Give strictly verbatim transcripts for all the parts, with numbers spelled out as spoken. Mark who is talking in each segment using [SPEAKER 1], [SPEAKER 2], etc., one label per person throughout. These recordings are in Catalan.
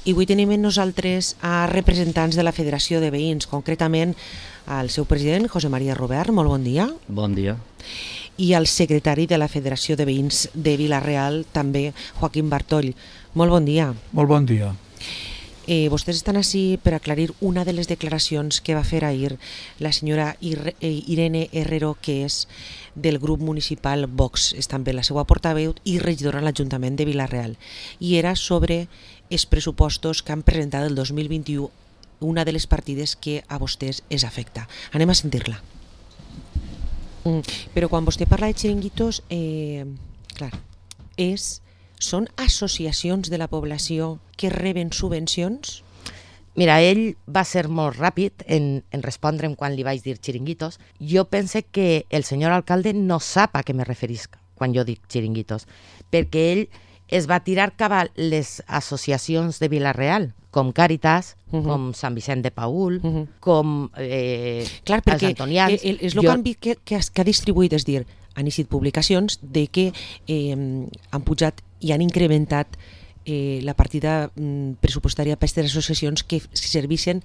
[SPEAKER 1] I avui tenim amb nosaltres a representants de la Federació de Veïns, concretament al seu president, José María Robert. Molt bon dia.
[SPEAKER 2] Bon dia.
[SPEAKER 1] I al secretari de la Federació de Veïns de Vila-real, també, Joaquim Bartoll. Molt bon dia.
[SPEAKER 3] Molt bon dia.
[SPEAKER 1] Eh, vostès estan ací per aclarir una de les declaracions que va fer ahir la senyora Irene Herrero, que és del grup municipal Vox, és també la seva portaveu i regidora a l'Ajuntament de Vila-real, i era sobre els pressupostos que han presentat el dos mil vint-i-u, una de les partides que a vostès es afecta. Anem a sentir-la. Mm, però quan vostè parla de xiringuitos, eh, clar, és... són associacions de la població que reben subvencions?
[SPEAKER 4] Mira, ell va ser molt ràpid en, en respondre'm quan li vaig dir xiringuitos. Jo pense que el senyor alcalde no sap a què me referisc quan jo dic xiringuitos, perquè ell es va tirar cap a les associacions de Vila-real, com Càritas, uh-huh. com Sant Vicent de Paül, uh-huh. com eh,
[SPEAKER 1] Clar, perquè
[SPEAKER 4] els Antonians.
[SPEAKER 1] El, el, el jo... canvi que, que, que ha distribuït, és dir, han eixit publicacions de que eh, han pujat i han incrementat eh, la partida mm, pressupostària per aquestes associacions que serveixen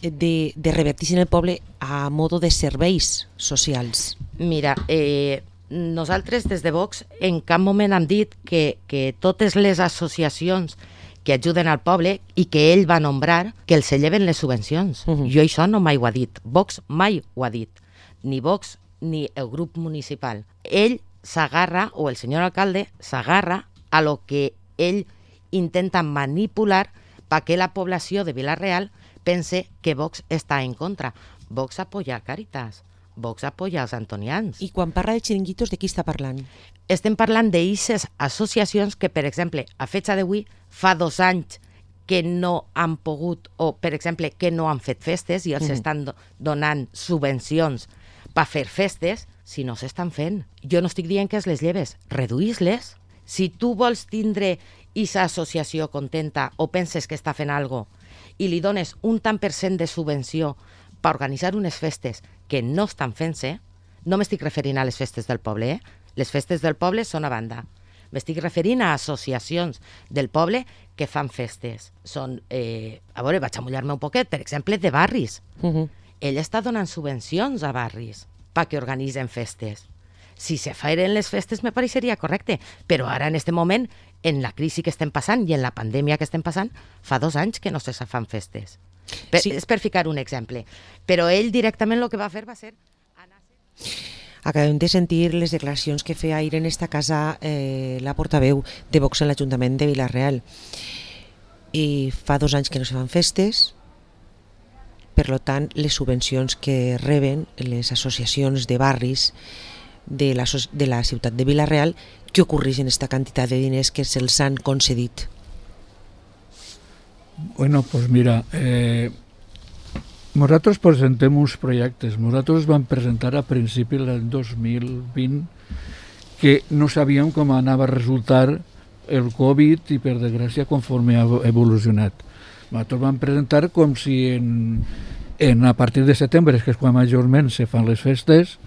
[SPEAKER 1] de, de revertir en el poble a modo de serveis socials.
[SPEAKER 4] Mira, eh, nosaltres des de Vox en cap moment hem dit que, que totes les associacions que ajuden al poble i que ell va nombrar, que els lleven les subvencions. Uh-huh. Jo això no mai ho ha dit. Vox mai ho ha dit. Ni Vox ni el grup municipal. Ell s'agarra, o el senyor alcalde s'agarra a lo que ell intenta manipular perquè la població de Vila-real pense que Vox està en contra. Vox apoya a Càritas, Vox apoya als Antonians.
[SPEAKER 1] I quan parla de xiringuitos, de qui està parlant?
[SPEAKER 4] Estem parlant d'eixes associacions que, per exemple, a fecha d'avui, fa dos anys que no han pogut, o per exemple, que no han fet festes i els mm. estan do- donant subvencions per fer festes, si no s'estan fent. Jo no estic dient que es les lleves, reduïs-les. Si tu vols tindre aquesta associació contenta o penses que està fent alguna cosa i li dones un tant per cent de subvenció per organitzar unes festes que no estan fent-se, no m'estic referint a les festes del poble, eh? Les festes del poble són a banda. M'estic referint a associacions del poble que fan festes. Són, eh, a veure, vaig a mullar-me un poquet, per exemple, de barris. Uh-huh. Ell està donant subvencions a barris perquè organitzen festes. Si se feren les festes me pareixeria correcte, però ara en aquest moment, en la crisi que estem passant i en la pandèmia que estem passant, fa dos anys que no se fan festes. Per, sí. És per ficar un exemple. Però ell directament el que va fer va ser...
[SPEAKER 1] Acabem de sentir les declaracions que feia ahir en esta casa eh, la portaveu de Vox en l'Ajuntament de Vila-real. I fa dos anys que no se fan festes, per tant, les subvencions que reben les associacions de barris de la, de la ciutat de Vila-real, què ocorreix en aquesta quantitat de diners que se'ls han concedit?
[SPEAKER 3] Bueno, pues mira, eh, nosaltres presentem uns projectes. Nosaltres vam presentar a principi del dos mil vint que no sabíem com anava a resultar el Covid i, per desgràcia, conforme ha evolucionat. Nosaltres vam presentar com si en, en a partir de setembre, que és quan majorment se fan les festes,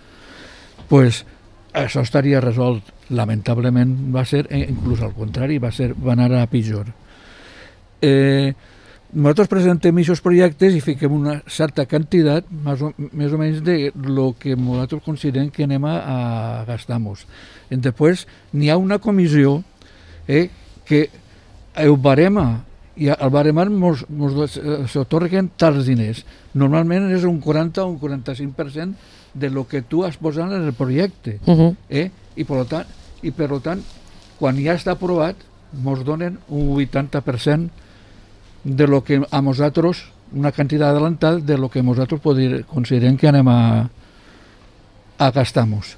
[SPEAKER 3] pues això estaria resolt. Lamentablement va ser, inclús al contrari, va, ser, va anar a pitjor. Eh, nosaltres presentem aquests projectes i fiquem una certa quantitat, més o, més o menys de lo que nosaltres considerem que anem a, a gastar-nos. I després n'hi ha una comissió eh, que el barema, i al baremar mos, mos s'atorguen tals diners. Normalment és un quaranta o un quaranta-cinc per cent de lo que tu has posat en el projecte. Uh-huh. eh? I, per tant, I per tant, quan ja està aprovat, ens donen un vuitanta per cent de lo que a nosaltres, una quantitat adelantada de lo que nosaltres poder, considerem que anem a, a gastar-nos.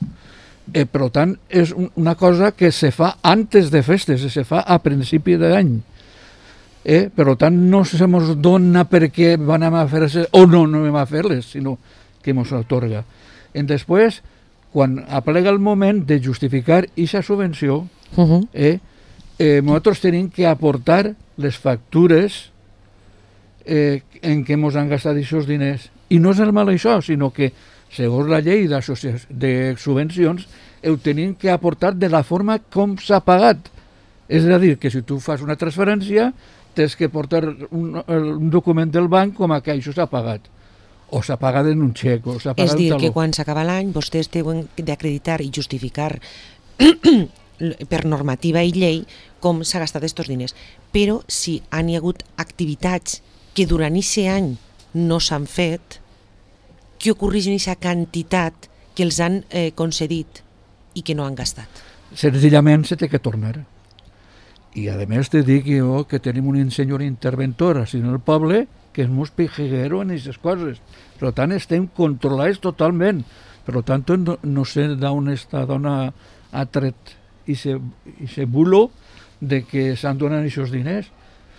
[SPEAKER 3] Eh, per tant, és un, una cosa que se fa antes de festes, se fa a principi d'any. Eh? Per tant, no se ens dona perquè van a fer-se o no, no anem a fer-les, sinó que ens atorga. I després, quan aplega el moment de justificar aquesta subvenció, uh-huh. eh, eh, nosaltres tenim que aportar les factures eh, en què ens han gastat aquests diners. I no és normal això, sinó que, segons la llei de subvencions, ho tenim que aportar de la forma com s'ha pagat. És a dir, que si tu fas una transferència tens que portar un, un document del banc com a que això s'ha pagat. O s'ha pagat en un xec, o s'ha pagat
[SPEAKER 1] És dir,
[SPEAKER 3] taló.
[SPEAKER 1] que quan s'acaba l'any vostès deuen d'acreditar i justificar per normativa i llei com s'ha gastat aquests diners. Però si han hi hagut activitats que durant aquest any no s'han fet, què ocorreix en aquesta quantitat que els han eh, concedit i que no han gastat?
[SPEAKER 3] Senzillament se té que tornar. I a més te dic jo que tenim un senyor interventor així en el poble que és molt pijiguero en aquestes coses. Per tant, estem controlats totalment. Per tant, no, no sé d'on esta dona ha tret aquest bulo de que s'han donat aquests diners.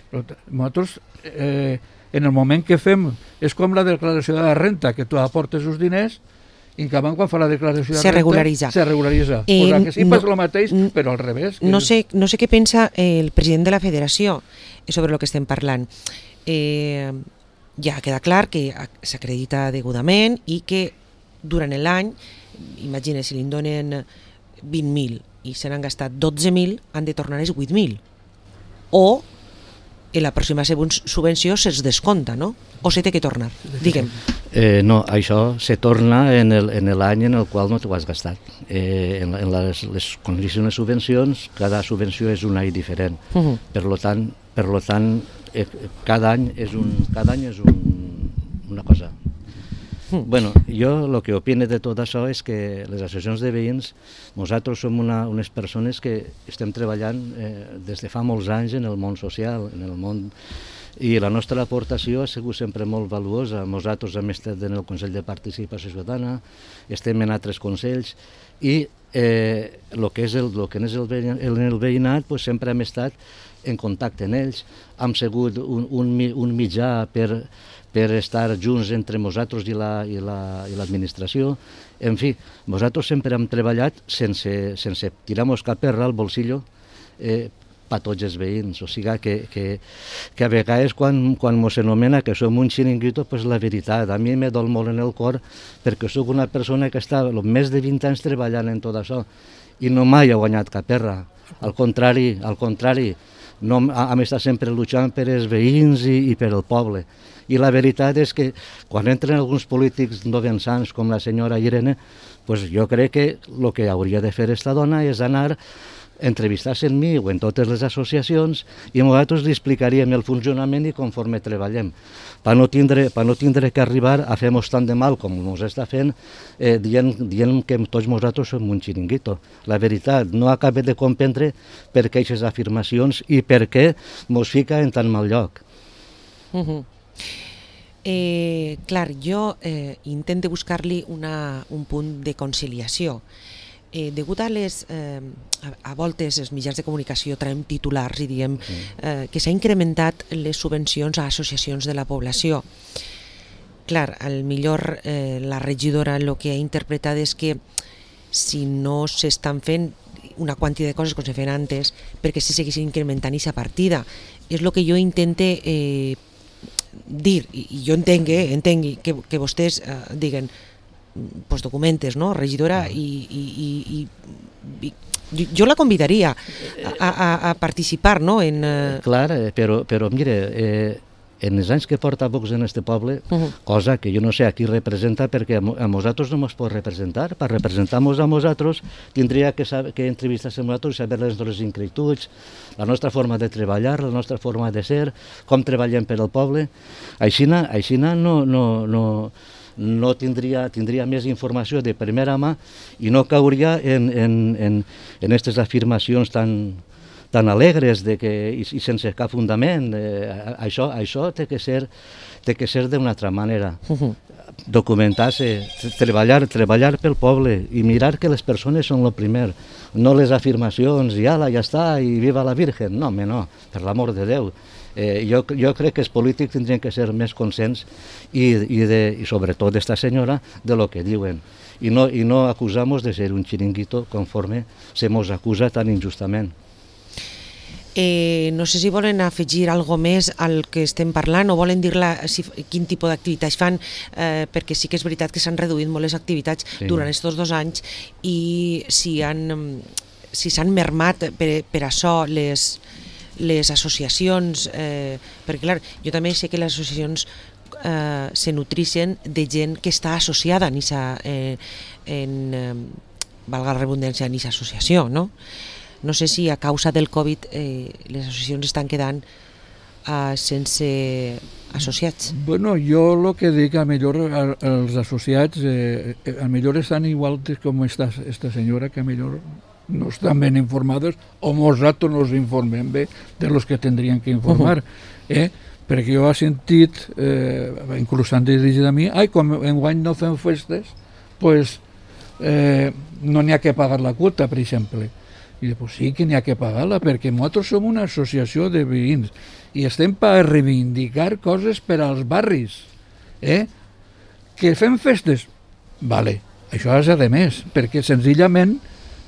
[SPEAKER 3] Però nosaltres, eh, en el moment que fem, és com la declaració de la renta, que tu aportes els diners i que quan fa la declaració de
[SPEAKER 1] se
[SPEAKER 3] renta
[SPEAKER 1] regularitza.
[SPEAKER 3] se regularitza.
[SPEAKER 1] Eh,
[SPEAKER 3] o sigui que sí
[SPEAKER 1] no,
[SPEAKER 3] passa el mateix, però al revés. Que
[SPEAKER 1] no, sé, no sé què pensa el president de la federació sobre el que estem parlant. Eh, ja queda clar que s'acredita degudament i que durant l'any, imagina, si li donen vint mil i se n'han gastat dotze mil, han de tornar els vuit mil. O en la pròxima subvenció se'ls descompta, no? O se té que tornar? Digue'm.
[SPEAKER 2] Eh, no, això se torna en l'any en, en el qual no t'ho has gastat. Eh, en en les, les condicions de subvencions, cada subvenció és un any diferent. Uh -huh. Per lo tant, per lo tant eh, cada any és, un, cada any és un, una cosa. Mm. Bueno, jo el que opino de tot això és que les associacions de veïns, nosaltres som una, unes persones que estem treballant eh, des de fa molts anys en el món social, en el món, i la nostra aportació ha sigut sempre molt valuosa. Nosaltres hem estat en el Consell de Participació Ciutadana, estem en altres consells, i eh, el que és el, lo que és el, el, el veïnat, pues, sempre hem estat en contacte amb ells, hem sigut un, un, un mitjà per, per estar junts entre nosaltres i l'administració. La, i la en fi, nosaltres sempre hem treballat sense, sense tirar-nos cap per al bolsillo eh, per tots els veïns. O sigui que, que, que a vegades quan, quan ens anomena que som un xiringuito, pues la veritat, a mi me dol molt en el cor perquè sóc una persona que està més de vint anys treballant en tot això i no mai ha guanyat cap perra. Al contrari, al contrari, no, hem estat sempre lluitant per els veïns i, i per el poble. I la veritat és que quan entren alguns polítics novençants com la senyora Irene, pues jo crec que el que hauria de fer esta dona és anar a entrevistar-se en mi o en totes les associacions i nosaltres li explicaríem el funcionament i conforme treballem. Per no tindre, per no tindre que arribar a fer-nos tant de mal com ens està fent eh, dient, dient que tots nosaltres som un xiringuito. La veritat, no acabem de comprendre per què aquestes afirmacions i per què ens fica en tan mal lloc.
[SPEAKER 1] Uh -huh. eh, clar, jo eh, intento buscar-li una, un punt de conciliació. Eh, degut a les, eh, a, a voltes els mitjans de comunicació traiem titulars i diem eh, que s'ha incrementat les subvencions a associacions de la població. Clar, al millor eh, la regidora el que ha interpretat és que si no s'estan fent una quantitat de coses com se feien antes, perquè si seguissin incrementant aquesta partida. És el que jo intente eh, dir, i jo entenc, eh, entenc que, que vostès eh, diguen pues documentes, no, regidora, i, i, i, i, i jo la convidaria a, a, a participar, no? En, uh...
[SPEAKER 2] Clar, però, però mire, eh, en els anys que porta Vox en este poble, uh -huh. cosa que jo no sé a qui representa, perquè a, a nosaltres no ens pot representar. Per representar-nos a nosaltres tindria que, saber, que entrevistar-se amb nosaltres i saber les nostres inquietuds, la nostra forma de treballar, la nostra forma de ser, com treballem per al poble. Aixina, aixina no... no, no no tindria, tindria més informació de primera mà i no cauria en, en, en, en aquestes afirmacions tan, tan alegres de que, i, i sense cap fundament. Eh, això això té que ser, té que ser d'una altra manera. Uh-huh. Documentar-se, treballar, treballar pel poble i mirar que les persones són el primer, no les afirmacions i ala, ja està, i viva la Virgen. No, home, no, per l'amor de Déu. Eh, jo, jo crec que els polítics tindrien que ser més conscients i, i, de, i sobretot d'esta senyora de lo que diuen i no, i no acusamos de ser un xiringuito conforme se mos acusa tan injustament.
[SPEAKER 1] Eh, no sé si volen afegir alguna més al que estem parlant o volen dir-la si, quin tipus d'activitats fan, eh, perquè sí que és veritat que s'han reduït molt les activitats sí. durant aquests dos anys i si han si s'han mermat per, per això les les associacions, eh, perquè clar, jo també sé que les associacions eh, se nutrixen de gent que està associada en esa, eh, en, eh, valga la redundància, en esa associació, no? No sé si a causa del Covid eh, les associacions estan quedant Uh, sense associats.
[SPEAKER 3] Bueno, jo el que dic, a millor els associats eh, a millor estan igual com esta, esta senyora, que a millor no estan ben informados o nosaltres nos informem bé de los que tendrien que informar. Uh-huh. eh? Perquè jo he sentit, eh, inclús han dirigit a mi, ai, com enguany no fem festes, pues, eh, no n'hi ha que pagar la quota, per exemple. I dic, pues sí que n'hi ha que pagar-la, perquè nosaltres som una associació de veïns i estem per reivindicar coses per als barris. Eh? Que fem festes? Vale, això és de més, perquè senzillament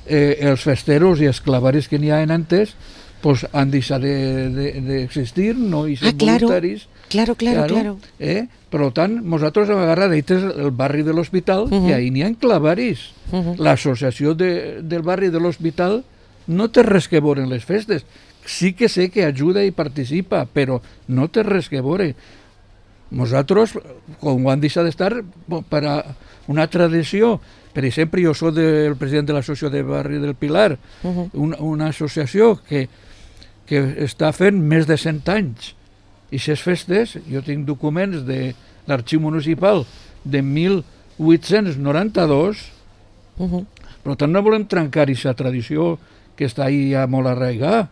[SPEAKER 3] eh, els festeros i els clavaris que n'hi ha en antes pues, han deixat d'existir, de, de, no? I són
[SPEAKER 1] ah, claro,
[SPEAKER 3] voluntaris.
[SPEAKER 1] Claro, claro, claro.
[SPEAKER 3] Eh? Per tant, nosaltres hem agarrat el barri de l'Hospital, uh-huh. i ahí n'hi ha clavaris. Uh-huh. L'associació de, del barri de l'Hospital no té res que veure en les festes. Sí que sé que ajuda i participa, però no té res que veure. Nosaltres, com ho han deixat d'estar, per a una tradició, per exemple, jo soc el president de l'associació de barri del Pilar, uh-huh. una, una associació que, que està fent més de cent anys. I aquestes festes, jo tinc documents de l'arxiu municipal de mil vuit-cents noranta-dos, uh-huh. per tant no volem trencar aquesta tradició que està ahí ja molt arraigada.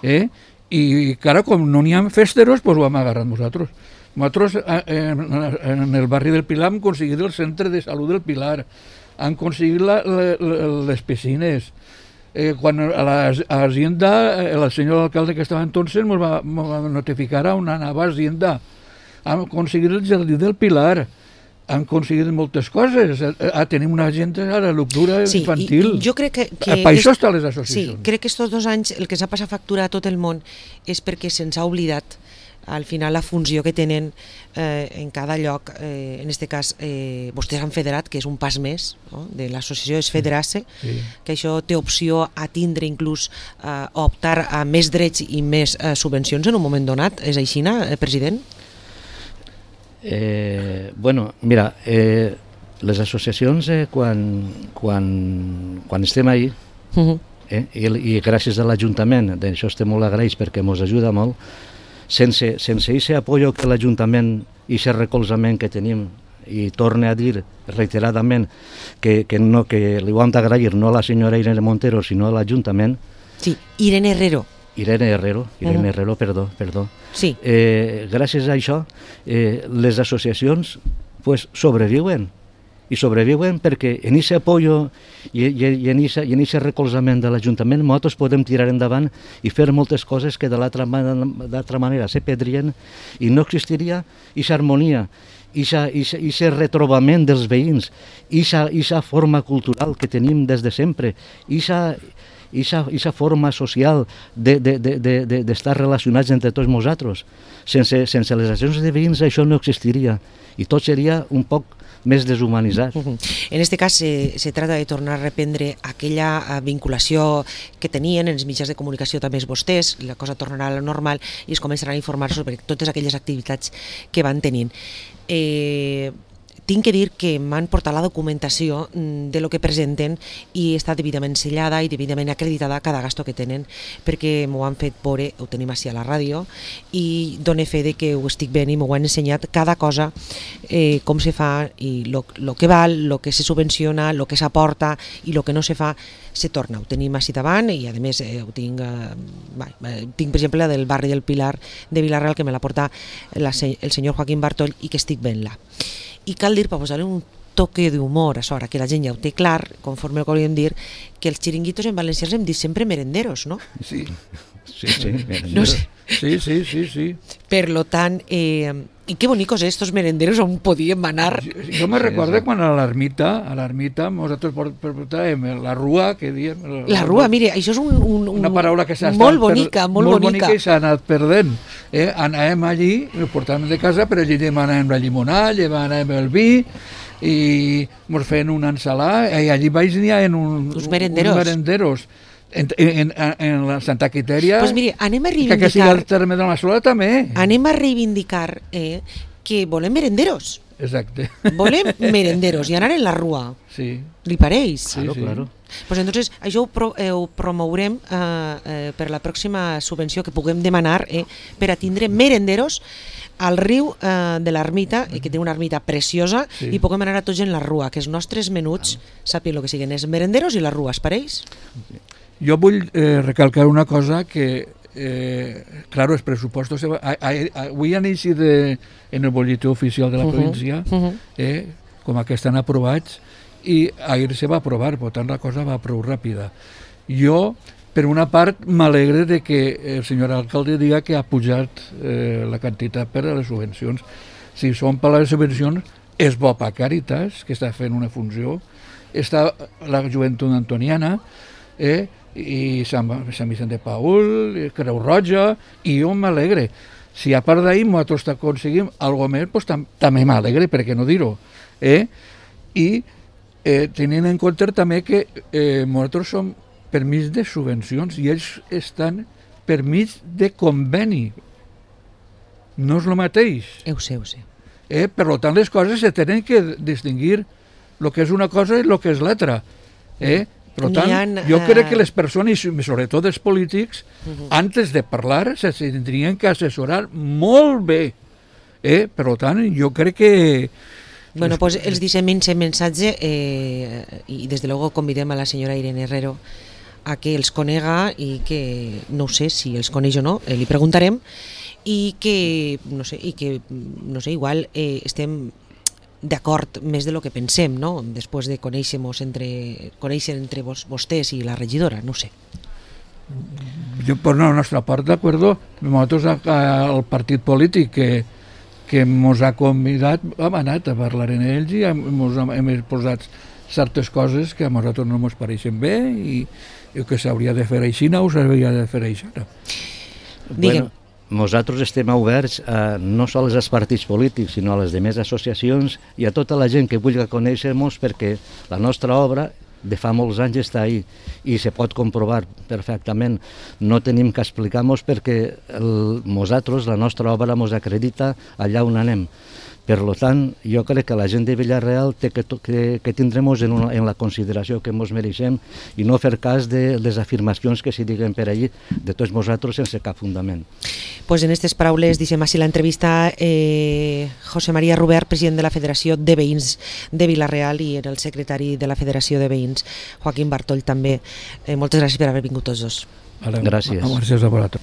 [SPEAKER 3] Eh? I cara, com no n'hi ha festeros, doncs ho hem agarrat nosaltres. Nosaltres en, en el barri del Pilar hem aconseguit el centre de salut del Pilar, han aconseguit la, la, les piscines. Eh, quan a l'Hacienda, el senyor alcalde que estava entonces ens va, va notificar on anava a Hacienda. Hem aconseguit el jardí del Pilar, han aconseguit moltes coses. Ah, tenim una agenda a la lectura
[SPEAKER 1] sí,
[SPEAKER 3] infantil.
[SPEAKER 1] Jo crec que, que
[SPEAKER 3] per això estan les associacions.
[SPEAKER 1] Sí, crec que estos dos anys el que s'ha passat factura a tot el món és perquè se'ns ha oblidat al final la funció que tenen eh, en cada lloc. Eh, en aquest cas, eh, vostès han federat, que és un pas més, no? De l'associació és federar-se, sí. Que això té opció a tindre inclús eh, optar a més drets i més eh, subvencions en un moment donat. És així, eh, president?
[SPEAKER 2] Eh, bueno, mira, eh, les associacions eh, quan, quan, quan estem ahí, uh-huh. eh, i, i gràcies a l'Ajuntament, d'això estem molt agraïts perquè ens ajuda molt, sense, sense aquest apoyo que l'Ajuntament i aquest recolzament que tenim, i torne a dir reiteradament que, que, no, que li ho hem d'agrair no a la senyora Irene Montero sinó a l'Ajuntament.
[SPEAKER 1] Sí, Irene Herrero.
[SPEAKER 2] Irene Herrero, Irene uh-huh. Herrero, perdó, perdó.
[SPEAKER 1] Sí.
[SPEAKER 2] Eh, gràcies a això, eh, les associacions pues, sobreviuen, i sobreviuen perquè en aquest apoyo i, i, i en aquest recolzament de l'Ajuntament nosaltres podem tirar endavant i fer moltes coses que de l'altra manera se perdrien i no existiria aquesta harmonia, aquest retrobament dels veïns, aquesta forma cultural que tenim des de sempre, aquesta forma social d'estar de, de, de, de relacionats entre tots nosaltres. Sense, sense les associacions de veïns això no existiria i tot seria un poc més deshumanitzat.
[SPEAKER 1] Uh-huh. En aquest cas se, se trata de tornar a reprendre aquella vinculació que tenien en els mitjans de comunicació també els vostès, la cosa tornarà a la normal i es començaran a informar sobre totes aquelles activitats que van tenint. Eh, tinc que dir que m'han portat la documentació de lo que presenten i està debidament sellada i debidament acreditada cada gasto que tenen, perquè m'ho han fet veure, ho tenim així a la ràdio, i done fe de que ho estic veient i m'ho han ensenyat cada cosa, eh, com se fa i lo, lo que val, lo que se subvenciona, lo que s'aporta i lo que no se fa se torna. Ho tenim així davant i a més eh, ho tinc, eh, tinc per exemple del barri del Pilar de Vilareal que me la porta la, el senyor Joaquín Bartoll i que estic veient-la. I cal dir, per posar-li un toque d'humor a sobre, que la gent ja ho té clar, conforme el que hauríem dir, que els xiringuitos en valencià els hem dit sempre merenderos, no?
[SPEAKER 3] Sí,
[SPEAKER 2] sí, sí, merenderos.
[SPEAKER 1] No sé.
[SPEAKER 3] Sí, sí, sí, sí.
[SPEAKER 1] Per lo tant, eh, i que bonicos estos merenderos on podíem anar.
[SPEAKER 3] Jo, jo me recordo quan a l'ermita, a l'ermita, nosaltres portàvem la rua, que diem...
[SPEAKER 1] La, la rua, mire, això és un, un,
[SPEAKER 3] una paraula que s'ha
[SPEAKER 1] molt bonica,
[SPEAKER 3] per,
[SPEAKER 1] molt,
[SPEAKER 3] molt
[SPEAKER 1] bonica.
[SPEAKER 3] bonica i s'ha anat perdent. Eh? Anàvem allí, ho portàvem de casa, però allí demanàvem la llimonada, demanàvem el vi, i ens feien una ensalada, i allí baix n'hi ha un,
[SPEAKER 1] uns merenderos.
[SPEAKER 3] uns merenderos. En, en, en la Santa Quitèria,
[SPEAKER 1] pues mire, anem a
[SPEAKER 3] que, que sigui
[SPEAKER 1] reivindicar,
[SPEAKER 3] el terme de la Massola també.
[SPEAKER 1] anem a reivindicar eh, que volem merenderos.
[SPEAKER 3] Exacte.
[SPEAKER 1] Volem merenderos i anar en la rua.
[SPEAKER 3] Sí.
[SPEAKER 1] Li pareix?
[SPEAKER 2] Claro,
[SPEAKER 3] sí.
[SPEAKER 2] claro.
[SPEAKER 1] Pues entonces això ho, pro, eh, ho promourem eh, eh, per la pròxima subvenció que puguem demanar eh, per a tindre merenderos al riu eh, de l'ermita, eh, que té una ermita preciosa,
[SPEAKER 3] Sí.
[SPEAKER 1] i puguem anar a tots en la rua, que els nostres menuts sàpien el que siguen, els merenderos i la rua, es pareix?
[SPEAKER 3] Jo vull eh, recalcar una cosa que, eh, claro, els pressupostos se va, a, a, a, avui han eixit de, en el bolletí oficial de la
[SPEAKER 1] Uh-huh,
[SPEAKER 3] província,
[SPEAKER 1] uh-huh.
[SPEAKER 3] eh, com a que estan aprovats, i ahir se va aprovar, per tant la cosa va prou ràpida. Jo, per una part, m'alegre de que el senyor alcalde diga que ha pujat eh, la quantitat per a les subvencions. Si són per les subvencions, és bo per Càritas, que està fent una funció, està la joventut antoniana, eh, i Sant, Sant Vicent de Paül, Creu Roja, i jo m'alegre. Si a part d'ahir nosaltres aconseguim alguna més, pues, tam també m'alegre, per què no dir-ho? Eh? I eh, tenint en compte també que eh, nosaltres som per mig de subvencions i ells estan per mig de conveni. No és el mateix.
[SPEAKER 1] Ho sé, ho sé.
[SPEAKER 3] Eh? Per tant, les coses se tenen que distingir el que és una cosa i el que és l'altra. Eh? Per tant,
[SPEAKER 1] Han,
[SPEAKER 3] jo crec
[SPEAKER 1] eh,
[SPEAKER 3] que les persones, i sobretot els polítics, uh-huh. antes de parlar, se tindrien que assessorar molt bé. Eh? Per tant, jo crec que...
[SPEAKER 1] Bueno, pues els deixem ese mensatge eh, i des de luego convidem a la senyora Irene Herrero a que els conega i que, no sé si els coneix o no, eh, li preguntarem, i que, no sé, i que, no sé, igual eh, estem d'acord més de lo que pensem, no? Després de conèixer-nos entre, conèixer entre vos, vostès i la regidora, no sé.
[SPEAKER 3] Jo, per la nostra part, d'acord, nosaltres al partit polític que que ens ha convidat, hem anat a parlar amb ells i hem, hem posat certes coses que a nosaltres no ens pareixen bé i, i que s'hauria de fer així o s'hauria de fer així.
[SPEAKER 1] Digue'm.
[SPEAKER 2] Bueno, nosaltres estem oberts a, no sols als partits polítics, sinó a les demés associacions i a tota la gent que vulgui conèixer-nos, perquè la nostra obra de fa molts anys està ahí i se pot comprovar perfectament. No tenim que explicar-nos perquè el, nosaltres, la nostra obra, ens acredita allà on anem. Per tant, jo crec que la gent de Vila-real té que, que, que tindrem-nos en, una, en la consideració que ens mereixem i no fer cas de les afirmacions que s'hi diguen per allí de tots nosaltres sense cap fundament.
[SPEAKER 1] Pues en aquestes paraules deixem així l'entrevista eh, José María Rubert, president de la Federació de Veïns de Vila-real, i el secretari de la Federació de Veïns, Joaquim Bartoll, també. Eh, moltes gràcies per haver vingut tots dos.
[SPEAKER 3] Vale,
[SPEAKER 2] Gràcies.
[SPEAKER 3] Gràcies a vosaltres.